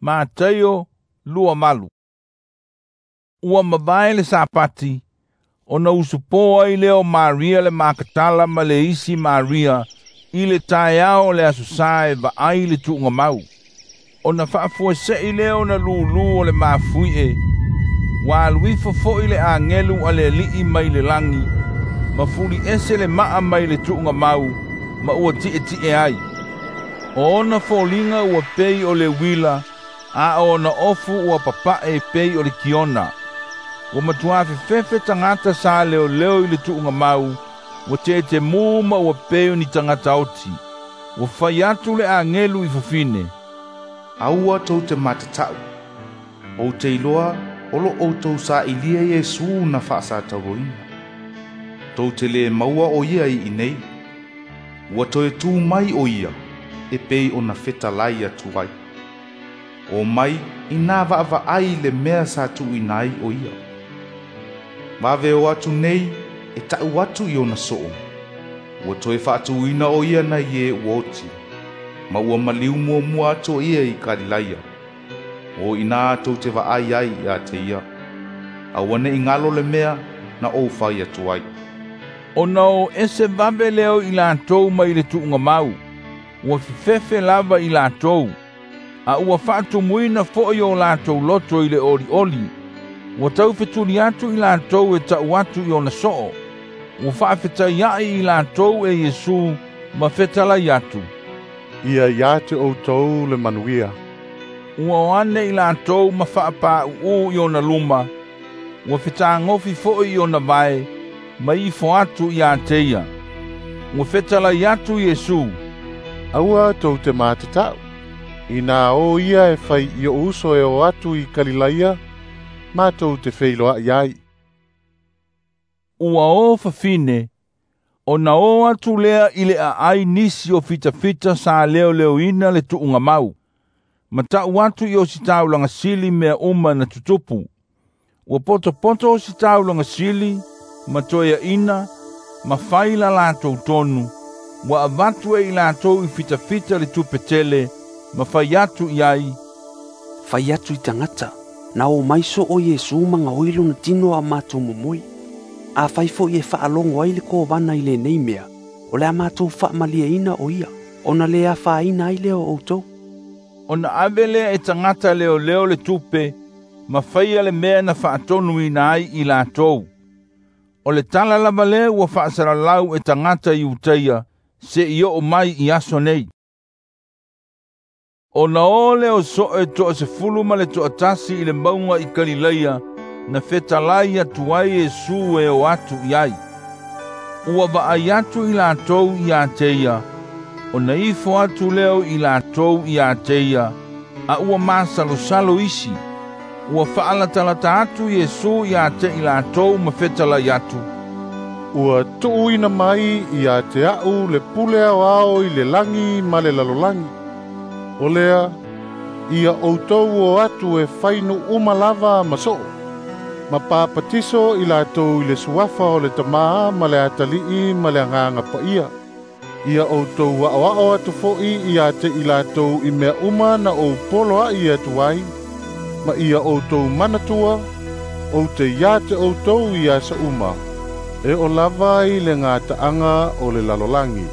Mataio 28. Ua mavae le Sapati, ona usupo ai lea o Maria le Makatala ma le isi Maria i le taeao o le Aso Sa e vaai le tuugamau. Ona faafuase'i lea ona lūlū o le mafui'e, ua alu ifo fo'i le agelu a le Alii mai le lagi, ma fuliese le ma'a mai le tuugamau, ma ua ti'eti'e ai. O ona foliga ua pei o le uila, a o ona ofu ua papa'e pei o le kiona. Ua matuā fefefe tagata sa leoleo i le tuugamau, ua tetemū ma ua pei o ni tagata oti. Ua fai atu le agelu i fafine, Aua tou te matata'u, ou te iloa o lo outou sa'ilia Iesu na fa'asatauaina. Tou te lē maua o ia i inei, ua toe tū mai o ia, e pei ona fetalai atu ai. O mai inā vaavaai i le mea sa tuuina ai o ia. Vave o atu nei e ta'u atu i ona so'o, ua toe fa'atūina o ia nai e ua oti, ma ua maliu muamua atu o ia i Kalilaia. O inā tou te vaai ai iā te ia. Aua ne'i galo le mea na ou fai atu ai. Ona o ese vave lea o i latou mai le tuugamau, ua fefefe lava i latou, a ua fa'atumuina fo'i o latou loto i le oli'oli. Ua taufetuli atu i latou e ta'u atu i ona so'o. Ua fa'afetaia'i i latou e Iesu ma fetalai atu, Ia iā te outou le manuia. Ua o ane i latou ma fa'apā'u'ū i ona luma, ua fetagofi fo'i i ona vae, ma ifo atu iā te ia. Ua fetalai atu Iesu, Aua tou te matata'u. Inā o ia e fai i o'u uso e o atu i Kalilaia, matou te feiloa'i ai. Ua o fafine, ona o atu lea i le aai nisi o fitafita sa leoleoina le tuugamau, ma ta'u atu i ositaulaga sili mea uma na tutupu. Ua potopoto ositaulaga sili, ma toeaʻina, ma fai la latou tonu, ua avatu e i latou i fitafita le tupe tele, ma fai atu i ai, Fai atu i tagata, na o mai so'o Iesu ma gaoi lona tino a matou momoe. Afai fo'i e fa'alogo ai le kovana i lenei mea, o le a matou fa'amalieina o ia, ona lē afaina ai lea o outou. Ona ave lea e tagata leoleo le tupe, ma faia le mea na fa'atonuina ai i latou. O le tala lava lea ua fa'asalalau e tagata Iutaia, se'i o'o mai i aso nei. Ona o lea o so'e 11 i le mauga i Kalilaia, na fetalai atu ai Iesu e o atu i ai. Ua vaai atu i latou iā te ia, ona ifo atu lea o i latou iā te ia, a ua masalosalo isi. Ua fa'alatalata atu Iesu iā te i latou ma fetalai atu, Ua tu'uina mai iā te a'u le pule aoao i le lagi ma le lalolagi. O lea, ia outou o atu e fai nu'u uma lava ma so'o, ma papatiso i latou i le suafa o le Tamā ma le Atali'i ma le Agaga Paia. Ia outou a'oa'o atu fo'i iā te i latou i mea uma na ou poloa'i atu ai, ma ia outou manatua, ou te iā te outou i aso uma, e o lava i le gata'aga o le lalolagi.